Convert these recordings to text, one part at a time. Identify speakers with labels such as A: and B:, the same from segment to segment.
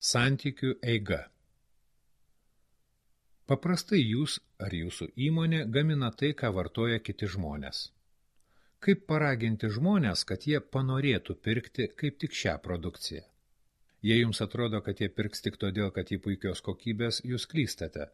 A: Santykių eiga. Paprastai jūs ar jūsų įmonė gamina tai, ką vartoja kiti žmonės. Kaip paraginti žmonės, kad jie panorėtų pirkti kaip tik šią produkciją? Jei jums atrodo, kad jie pirks tik todėl, kad jį puikios kokybės, jūs klystate.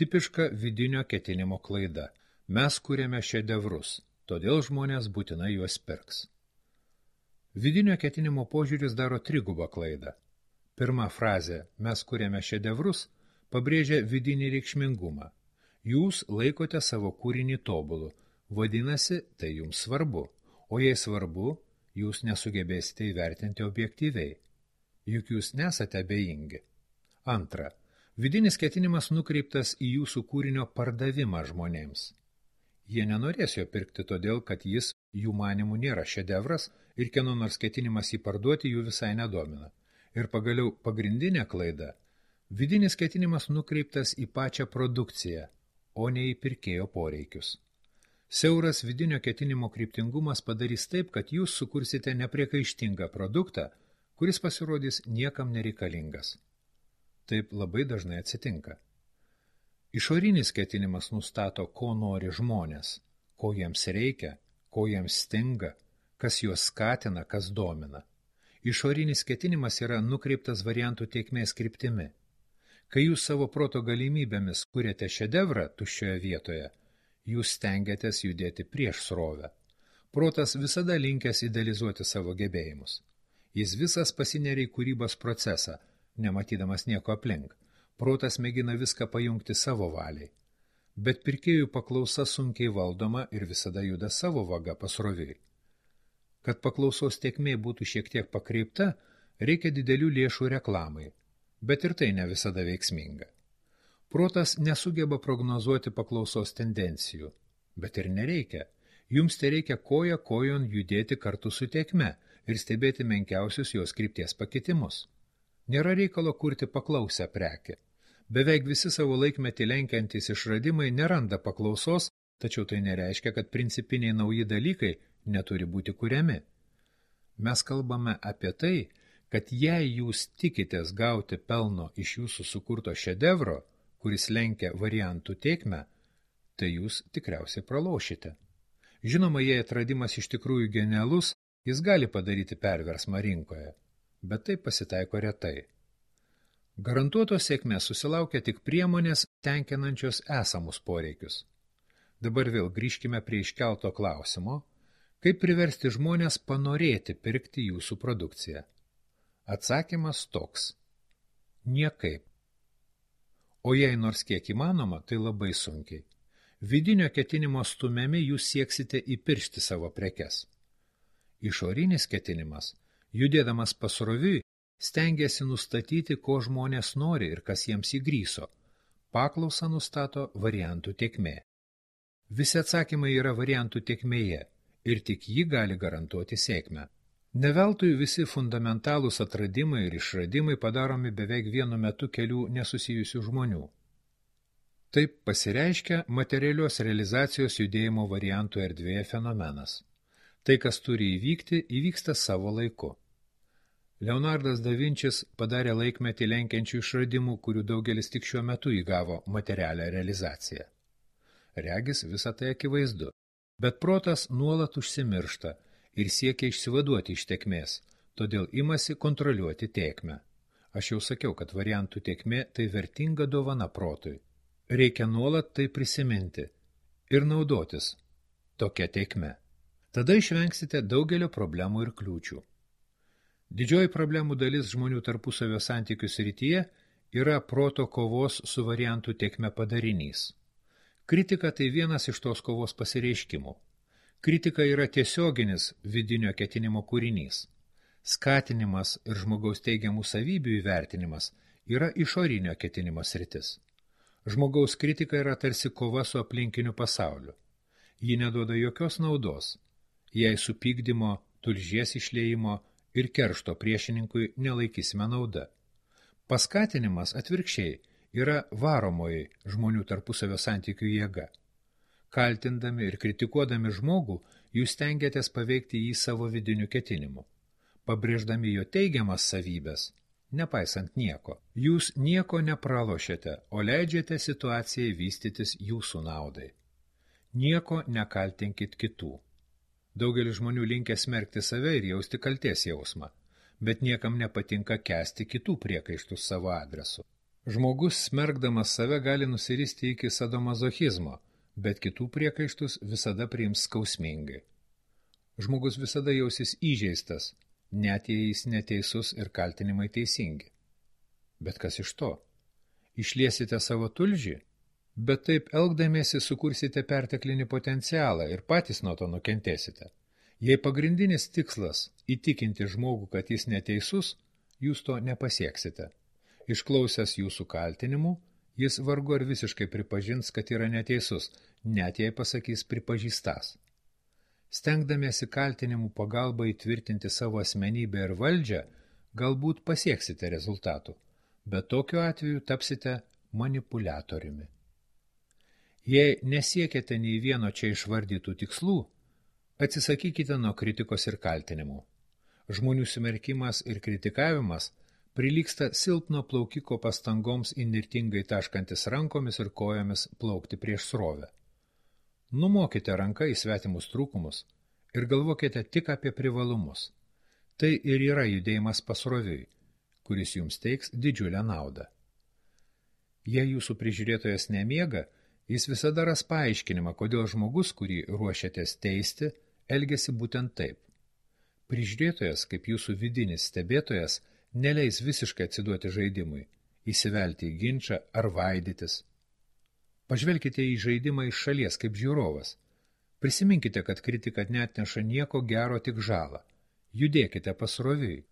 A: Tipiška vidinio ketinimo klaida. Mes kuriame šedevrus, todėl žmonės būtinai juos pirks. Vidinio ketinimo požiūris daro trigubą klaidą. Pirma frazė "mes kuriame šedevrus" pabrėžia vidinį reikšmingumą. Jūs laikote savo kūrinį tobulu, vadinasi, tai jums svarbu, o jei svarbu, jūs nesugebėsite įvertinti objektyviai. Juk jūs nesate abejingi. Antra, vidinis ketinimas nukreiptas į jūsų kūrinio pardavimą žmonėms. Jie nenorės jo pirkti todėl, kad jis jų manimų nėra šedevras ir kieno nors ketinimas jį parduoti jų visai nedomina. Ir pagaliau pagrindinė klaida – vidinis ketinimas nukreiptas į pačią produkciją, o ne į pirkėjo poreikius. Siauras vidinio ketinimo kryptingumas padarys taip, kad jūs sukursite nepriekaištingą produktą, kuris pasirodys niekam nereikalingas. Taip labai dažnai atsitinka. Išorinis ketinimas nustato, ko nori žmonės, ko jiems reikia, ko jiems stinga, kas juos skatina, kas domina. Išorinis ketinimas yra nukreiptas variantų tėkmės kryptimi. Kai jūs savo proto galimybėmis kuriate šedevrą tuščioje vietoje, jūs stengiatės judėti prieš srovę. Protas visada linkęs idealizuoti savo gebėjimus. Jis visas pasineria į kūrybos procesą, nematydamas nieko aplink. Protas mėgina viską pajungti savo valiai. Bet pirkėjų paklausa sunkiai valdoma ir visada juda savo vaga pasroviui. Kad paklausos tėkmė būtų šiek tiek pakreipta, reikia didelių lėšų reklamai, bet ir tai ne visada veiksminga. Protas nesugeba prognozuoti paklausos tendencijų, bet ir nereikia. Jums tereikia koja kojon judėti kartu su tėkme ir stebėti menkiausius jos krypties pakitimus. Nėra reikalo kurti paklausę prekę. Beveik visi savo laikmetį lenkiantys išradimai neranda paklausos, tačiau tai nereiškia, kad principiniai nauji dalykai neturi būti kuriami. Mes kalbame apie tai, kad jei jūs tikitės gauti pelno iš jūsų sukurto šedevro, kuris lenkia variantų tėkmę, tai jūs tikriausiai pralošite. Žinoma, jei atradimas iš tikrųjų genialus, jis gali padaryti perversmą rinkoje, bet tai pasitaiko retai. Garantuotos sėkmės susilaukia tik priemonės tenkinančios esamus poreikius. Dabar vėl grįžkime prie iškelto klausimo, kaip priversti žmonės panorėti pirkti jūsų produkciją. Atsakymas toks – niekaip. O jei nors kiek įmanoma, tai labai sunkiai. Vidinio ketinimo stumiami jūs sieksite įpiršti savo prekes. Išorinis ketinimas, judėdamas pasroviui, stengiasi nustatyti, ko žmonės nori ir kas jiems įgryso. Paklausą nustato variantų tėkmė. Visi atsakymai yra variantų tėkmėje ir tik ji gali garantuoti sėkmę. Neveltui visi fundamentalūs atradimai ir išradimai padaromi beveik vienu metu kelių nesusijusių žmonių. Taip pasireiškia materialios realizacijos judėjimo variantų erdvėje fenomenas. Tai, kas turi įvykti, įvyksta savo laiku. Leonardas da Vinčis padarė laikmetį lenkiančių išradimų, kurių daugelis tik šiuo metu įgavo materialią realizaciją. Regis visą tai akivaizdu, bet protas nuolat užsimiršta ir siekia išsivaduoti iš tėkmės, todėl imasi kontroliuoti tėkmę. Aš jau sakiau, kad variantų tėkmė tai vertinga dovana protui. Reikia nuolat tai prisiminti ir naudotis tokia tėkme. Tada išvengsite daugelio problemų ir kliūčių. Didžioji problemų dalis žmonių tarpusavio santykių srityje yra proto kovos su variantų tėkme padarinys. Kritika tai vienas iš tos kovos pasireiškimų. Kritika yra tiesioginis vidinio ketinimo kūrinys. Skatinimas ir žmogaus teigiamų savybių įvertinimas yra išorinio ketinimo sritis. Žmogaus kritika yra tarsi kova su aplinkiniu pasauliu. Ji neduoda jokios naudos, jei supykdymo, tulžies išliejimo ir keršto priešininkui nelaikysime nauda. Paskatinimas atvirkščiai yra varomoji žmonių tarpusavio santykių jėga. Kaltindami ir kritikuodami žmogų, jūs stengiatės paveikti jį savo vidiniu ketinimu. Pabrėždami jo teigiamas savybės, nepaisant nieko. Jūs nieko nepralošiate, o leidžiate situacijai vystytis jūsų naudai. Nieko nekaltinkit kitų. Daugelis žmonių linkę smerkti save ir jausti kaltės jausmą, bet niekam nepatinka kęsti kitų priekaištus savo adresu. Žmogus smerkdamas save gali nusiristi iki sadomazochizmo, bet kitų priekaištus visada priims skausmingai. Žmogus visada jausis įžeistas, net jei jis neteisus ir kaltinimai teisingi. Bet kas iš to? Išliesite savo tulžį? Bet taip elgdamiesi sukursite perteklinį potencialą ir patys nuo to nukentėsite. Jei pagrindinis tikslas įtikinti žmogų, kad jis neteisus, jūs to nepasieksite. Išklausęs jūsų kaltinimų, jis vargu ar visiškai pripažins, kad yra neteisus, net jei pasakys pripažįstas. Stengdamiesi kaltinimų pagalba įtvirtinti savo asmenybę ir valdžią, galbūt pasieksite rezultatų, bet tokiu atveju tapsite manipuliatoriumi. Jei nesiekėte nei vieno čia išvardytų tikslų, atsisakykite nuo kritikos ir kaltinimų. Žmonių smerkimas ir kritikavimas prilygsta silpno plaukiko pastangoms įnirtingai taškantis rankomis ir kojomis plaukti prieš srovę. Numokite ranką į svetimus trūkumus ir galvokite tik apie privalumus. Tai ir yra judėjimas pasroviui, kuris jums teiks didžiulę naudą. Jei jūsų prižiūrėtojas nemiega, jis visada ras paaiškinimą, kodėl žmogus, kurį ruošiatės teisti, elgiasi būtent taip. Prižiūrėtojas, kaip jūsų vidinis stebėtojas, neleis visiškai atsiduoti žaidimui, įsivelti į ginčą ar vaidytis. Pažvelkite į žaidimą iš šalies kaip žiūrovas. Prisiminkite, kad kritika neatneša nieko gero, tik žalą. Judėkite pasroviui.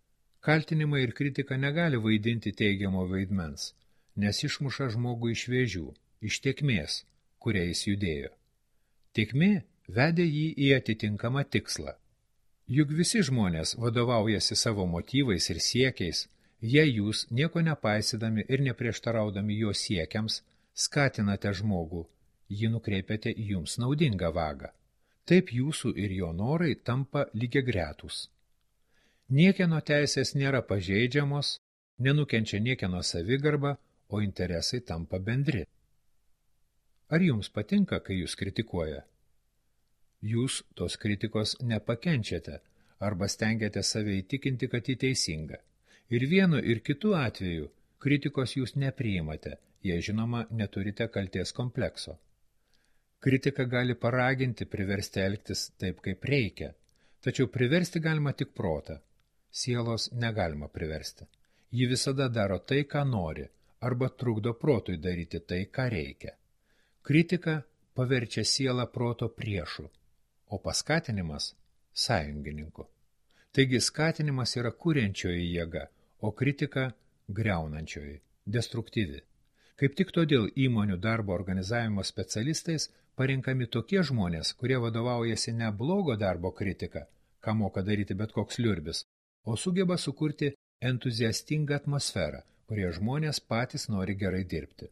A: Kaltinimai ir kritika negali vaidinti teigiamo vaidmens, nes išmuša žmogų iš vėžių, iš tėkmės, kuria jis judėjo. Tėkmė vedė jį į atitinkamą tikslą. Juk visi žmonės vadovaujasi savo motyvais ir siekiais, jei jūs, nieko nepaisydami ir neprieštaraudami jo siekiams, skatinate žmogų, jį nukreipiate į jums naudingą vagą. Taip jūsų ir jo norai tampa lygiagretūs. Niekieno teisės nėra pažeidžiamos, nenukenčia niekieno savigarba, o interesai tampa bendri. Ar jums patinka, kai jūs kritikuoja? Jūs tos kritikos nepakenčiate arba stengiate save įtikinti, kad ji teisinga. Ir vienu ir kitu atveju kritikos jūs nepriimate, jei žinoma neturite kaltės komplekso. Kritika gali paraginti, priversti elgtis taip, kaip reikia, tačiau priversti galima tik protą. Sielos negalima priversti. Ji visada daro tai, ką nori, arba trukdo protui daryti tai, ką reikia. Kritika paverčia sielą proto priešu, o paskatinimas – sąjungininku. Taigi skatinimas yra kuriančioji jėga, o kritika – griaunančioji, destruktyvi. Kaip tik todėl įmonių darbo organizavimo specialistais parinkami tokie žmonės, kurie vadovaujasi ne blogo darbo kritika, ką moka daryti bet koks liurbis, o sugeba sukurti entuziastingą atmosferą, kurie žmonės patys nori gerai dirbti.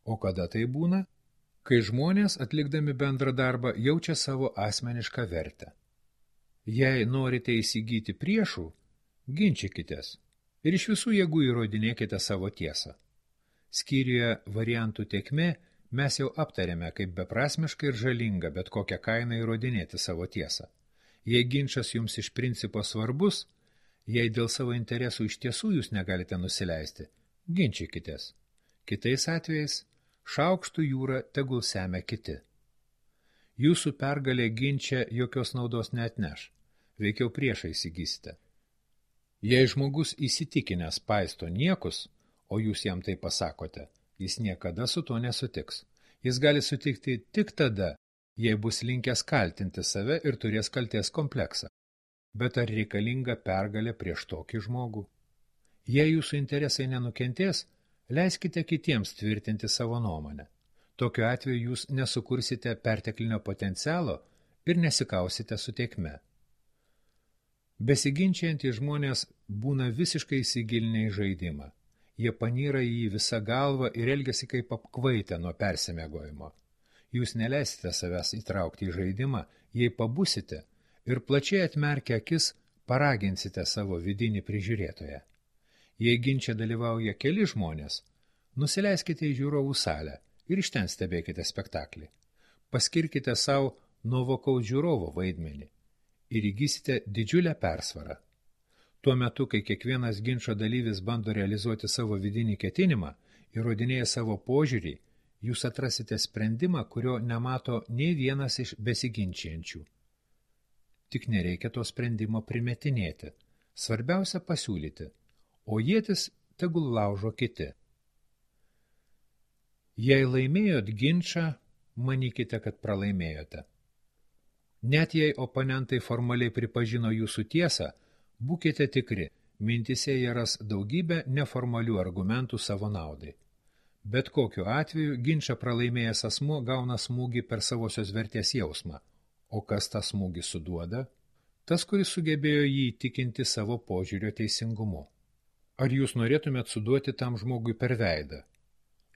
A: O kada tai būna? Kai žmonės, atlikdami bendrą darbą, jaučia savo asmenišką vertę. Jei norite įsigyti priešų, ginčykitės ir iš visų jėgų įrodinėkite savo tiesą. Skyriuje variantų tėkmė mes jau aptarėme, kaip beprasmiška ir žalinga bet kokią kainą įrodinėti savo tiesą. Jei ginčas jums iš principo svarbus, jei dėl savo interesų iš tiesų jūs negalite nusileisti, ginčykitės. Kitais atvejais šaukštų jūrą tegul semia kiti. Jūsų pergalė ginče jokios naudos neatneš, veikiau priešą įsigysite. Jei žmogus įsitikinęs paisto niekus, o jūs jam tai pasakote, jis niekada su tuo nesutiks. Jis gali sutikti tik tada, jei bus linkęs kaltinti save ir turės kaltės kompleksą. Bet ar reikalinga pergalė prieš tokį žmogų? Jei jūsų interesai nenukentės, leiskite kitiems tvirtinti savo nuomonę. Tokiu atveju jūs nesukursite perteklinio potencialo ir nesikausite su tėkme. Besiginčiantys žmonės būna visiškai įsigilinę į žaidimą. Jie panyra į jį visą galvą ir elgiasi kaip apkvaitę nuo persimegojimo. Jūs neleisite savęs įtraukti į žaidimą, jei pabusite ir plačiai atmerkę akis paraginsite savo vidinį prižiūrėtoją. Jei ginče dalyvauja keli žmonės, nusileiskite į žiūrovų salę ir iš ten stebėkite spektaklį. Paskirkite savo nuovokaus žiūrovo vaidmenį ir įgysite didžiulę persvarą. Tuo metu, kai kiekvienas ginčo dalyvis bando realizuoti savo vidinį ketinimą, įrodinėja savo požiūrį, jūs atrasite sprendimą, kurio nemato nei vienas iš besiginčiančių. Tik nereikia to sprendimo primetinėti. Svarbiausia pasiūlyti, o ietis tegul laužo kiti. Jei laimėjot ginčą, manykite, kad pralaimėjote. Net jei oponentai formaliai pripažino jūsų tiesą, būkite tikri, mintise jie ras daugybę neformalių argumentų savo naudai. Bet kokiu atveju ginčą pralaimėjęs asmuo gauna smūgį per savosios vertės jausmą. O kas tą smūgį suduoda? Tas, kuris sugebėjo jį įtikinti savo požiūrio teisingumu. Ar jūs norėtumėt suduoti tam žmogui per veidą?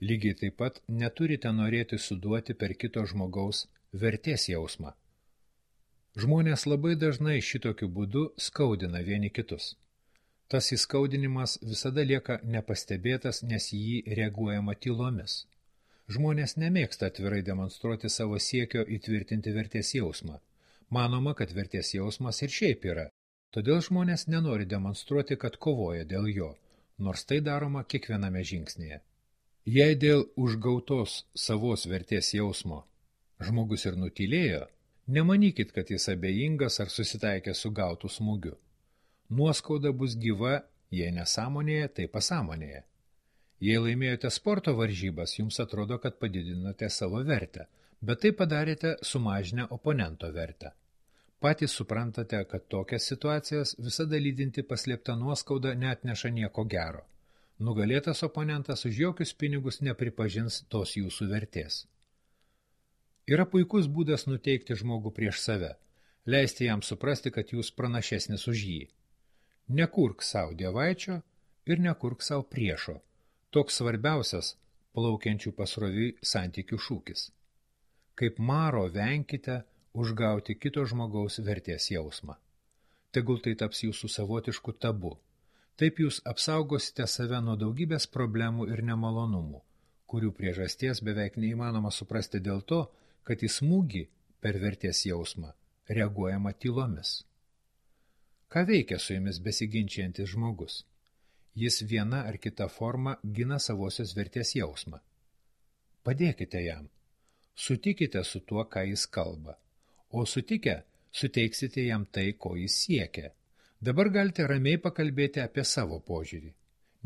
A: Lygiai taip pat neturite norėti suduoti per kito žmogaus vertės jausmą. Žmonės labai dažnai šitokiu būdu skaudina vieni kitus. Tas įskaudinimas visada lieka nepastebėtas, nes jį reaguojama tylomis. Žmonės nemėgsta atvirai demonstruoti savo siekio įtvirtinti vertės jausmą. Manoma, kad vertės jausmas ir šiaip yra, todėl žmonės nenori demonstruoti, kad kovoja dėl jo, nors tai daroma kiekviename žingsnėje. Jei dėl užgautos savos vertės jausmo žmogus ir nutylėjo, nemanykit, kad jis abejingas ar susitaikė su gautu smūgiu. Nuoskauda bus gyva, jei nesąmonėje, tai pasąmonėje. Jei laimėjote sporto varžybas, jums atrodo, kad padidinote savo vertę, bet tai padarėte sumažinę oponento vertę. Patys suprantate, kad tokias situacijas visada lydinti paslėpta nuoskauda neatneša nieko gero. Nugalėtas oponentas už jokius pinigus nepripažins tos jūsų vertės. Yra puikus būdas nuteikti žmogų prieš save, leisti jam suprasti, kad jūs pranašesnis už jį. Nekurk savo dievaičio ir nekurk savo priešo. Toks svarbiausias plaukiančių pasroviui santykių šūkis. Kaip maro venkite užgauti kito žmogaus vertės jausmą. Tegul tai taps jūsų savotišku tabu. Taip jūs apsaugosite save nuo daugybės problemų ir nemalonumų, kurių priežasties beveik neįmanoma suprasti dėl to, kad į smūgį per vertės jausmą reaguojama tylomis. Ką veikia su jumis besiginčiantis žmogus? Jis viena ar kita forma gina savosios vertės jausmą. Padėkite jam. Sutikite su tuo, ką jis kalba. O sutikę, suteiksite jam tai, ko jis siekia. Dabar galite ramiai pakalbėti apie savo požiūrį.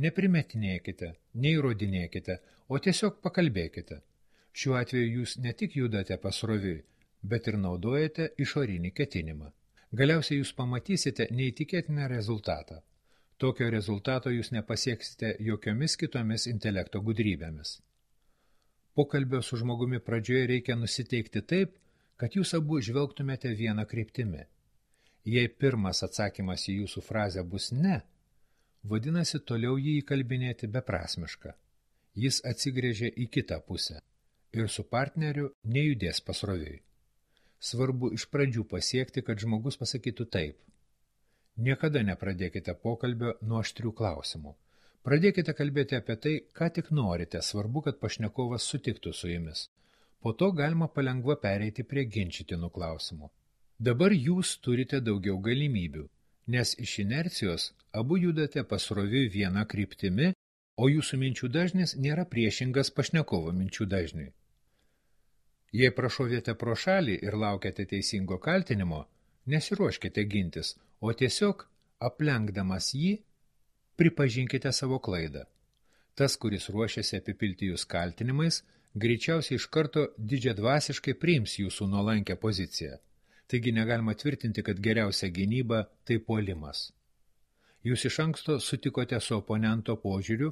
A: Neprimetinėkite, neįrodinėkite, o tiesiog pakalbėkite. Šiuo atveju jūs ne tik judate pasroviui, bet ir naudojate išorinį ketinimą. Galiausiai jūs pamatysite neįtikėtiną rezultatą. Tokio rezultato jūs nepasieksite jokiomis kitomis intelekto gudrybėmis. Pokalbio su žmogumi pradžioje reikia nusiteikti taip, kad jūs abu žvelgtumėte vieną kryptimi. Jei pirmas atsakymas į jūsų frazę bus ne, vadinasi toliau jį įkalbinėti beprasmiška. Jis atsigrėžė į kitą pusę ir su partneriu nejudės pasroviui. Svarbu iš pradžių pasiekti, kad žmogus pasakytų taip. Niekada nepradėkite pokalbio nuo aštrių klausimų. Pradėkite kalbėti apie tai, ką tik norite, svarbu, kad pašnekovas sutiktų su jumis. Po to galima palengva pereiti prie ginčytinų klausimų. Dabar jūs turite daugiau galimybių, nes iš inercijos abu judate pasroviui vieną kryptimi, o jūsų minčių dažnis nėra priešingas pašnekovo minčių dažniui. Jei prašovėte pro šalį ir laukiate teisingo kaltinimo, nesiruoškite gintis, o tiesiog, aplenkdamas jį, pripažinkite savo klaidą. Tas, kuris ruošiasi apipilti jūs kaltinimais, greičiausiai iš karto didžiadvasiškai priims jūsų nuolankę poziciją. Taigi negalima tvirtinti, kad geriausia gynyba tai puolimas. Jūs iš anksto sutikote su oponento požiūriu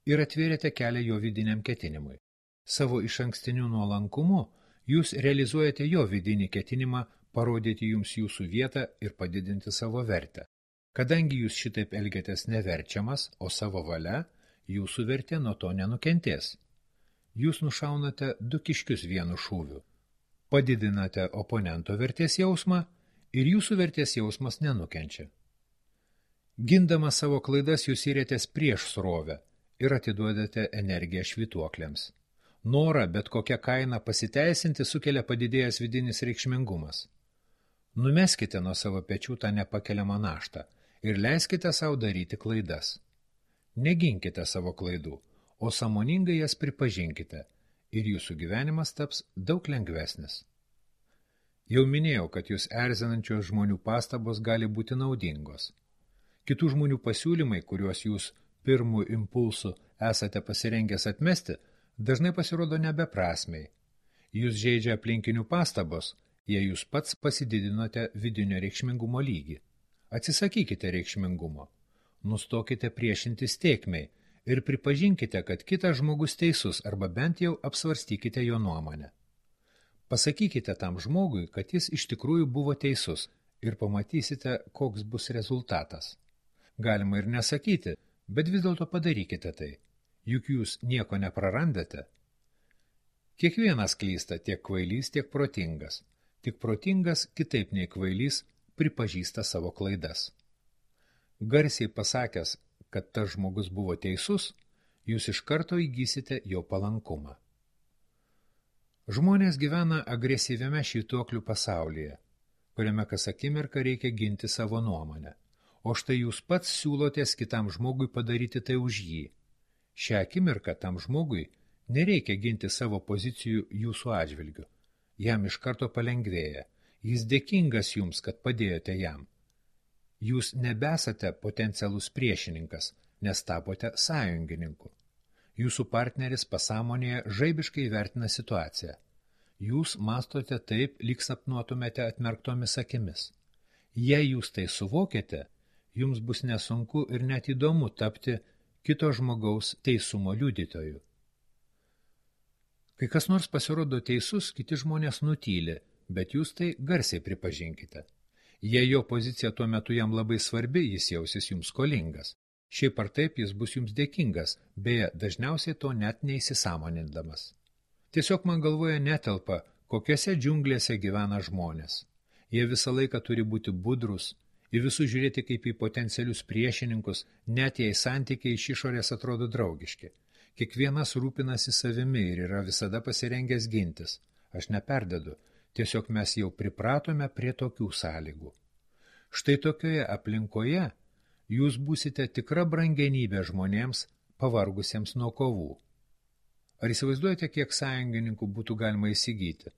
A: ir atvėrėte kelią jo vidiniam ketinimui. Savo išankstiniu nuolankumu jūs realizuojate jo vidinį ketinimą parodyti jums jūsų vietą ir padidinti savo vertę. Kadangi jūs šitaip elgiatės neverčiamas, o savo valia, jūsų vertė nuo to nenukentės. Jūs nušaunate du kiškius vienu šūviu. Padidinate oponento vertės jausmą ir jūsų vertės jausmas nenukenčia. Gindamas savo klaidas jūs įrėtės prieš srovę ir atiduodate energiją švytuokliams. Norą bet kokią kainą pasiteisinti sukelia padidėjęs vidinis reikšmingumas. Numeskite nuo savo pečių tą nepakeliamą naštą ir leiskite savo daryti klaidas. Neginkite savo klaidų, o sąmoningai jas pripažinkite ir jūsų gyvenimas taps daug lengvesnis. Jau minėjau, kad jūs erzinančios žmonių pastabos gali būti naudingos. Kitų žmonių pasiūlymai, kuriuos jūs pirmų impulsų esate pasirengęs atmesti, dažnai pasirodo nebeprasmiai. Jūs žeidžia aplinkinių pastabos, jei jūs pats pasididinote vidinio reikšmingumo lygį. Atsisakykite reikšmingumo, nustokite priešintis tėkmei ir pripažinkite, kad kitas žmogus teisus arba bent jau apsvarstykite jo nuomonę. Pasakykite tam žmogui, kad jis iš tikrųjų buvo teisus ir pamatysite, koks bus rezultatas. Galima ir nesakyti, bet vis dėlto padarykite tai, juk jūs nieko neprarandate. Kiekvienas klysta, tiek kvailys, tiek protingas. Tik protingas, kitaip nei kvailys, pripažįsta savo klaidas. Garsiai pasakęs, kad tas žmogus buvo teisus, jūs iš karto įgysite jo palankumą. Žmonės gyvena agresyviame švytuoklių pasaulyje, kuriame kas akimirką reikia ginti savo nuomonę. O štai jūs pats siūlotės kitam žmogui padaryti tai už jį. Šią akimirką tam žmogui nereikia ginti savo pozicijų jūsų atžvilgiu. Jam iš karto palengvėja. Jis dėkingas jums, kad padėjote jam. Jūs nebesate potencialus priešininkas, nes tapote sąjungininku. Jūsų partneris pasąmonėje žaibiškai vertina situaciją. Jūs mastote taip, lyg sapnuotumėte atmerktomis akimis. Jei jūs tai suvokėte, jums bus nesunku ir net įdomu tapti kito žmogaus teisumo liudytoju. Kai kas nors pasirodo teisus, kiti žmonės nutyli, bet jūs tai garsiai pripažinkite. Jei jo pozicija tuo metu jam labai svarbi, jis jausis jums skolingas. Šiaip ar taip jis bus jums dėkingas, beje, dažniausiai to net neįsisąmonindamas. Tiesiog man galvoje netelpa, kokiose džiunglėse gyvena žmonės. Jie visą laiką turi būti budrus, į visus žiūrėti kaip į potencialius priešininkus, net jei santykiai iš išorės atrodo draugiški. Kiekvienas rūpinasi savimi ir yra visada pasirengęs gintis. Aš neperdedu, tiesiog mes jau pripratome prie tokių sąlygų. Štai tokioje aplinkoje jūs būsite tikra brangenybė žmonėms, pavargusiems nuo kovų. Ar įsivaizduojate, kiek sąjungininkų būtų galima įsigyti?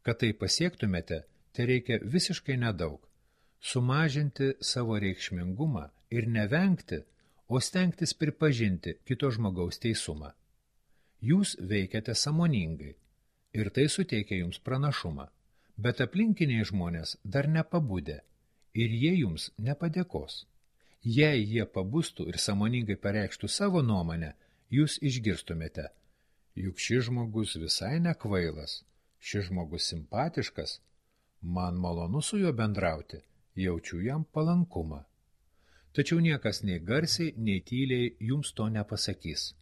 A: Kad tai pasiektumėte, tai reikia visiškai nedaug. Sumažinti savo reikšmingumą ir nevengti, o stengtis pripažinti kito žmogaus teisumą. Jūs veikiate sąmoningai ir tai suteikia jums pranašumą, bet aplinkiniai žmonės dar nepabudę ir jie jums nepadėkos. Jei jie pabustų ir sąmoningai pareikštų savo nuomonę, jūs išgirstumėte, juk šis žmogus visai nekvailas, šis žmogus simpatiškas, man malonu su juo bendrauti, jaučiu jam palankumą. Tačiau niekas nei garsiai, nei tyliai jums to nepasakys.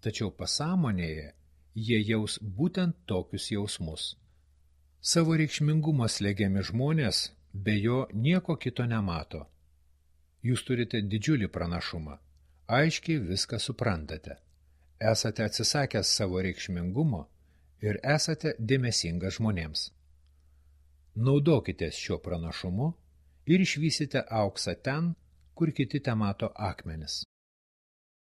A: Tačiau pasąmonėje jie jaus būtent tokius jausmus. Savo reikšmingumo slegiami žmonės be jo nieko kito nemato. Jūs turite didžiulį pranašumą, aiškiai viską suprantate. Esate atsisakęs savo reikšmingumo ir esate dėmesingas žmonėms. Naudokitės šiuo pranašumu ir išvysite auksą ten, kur kiti temato akmenis.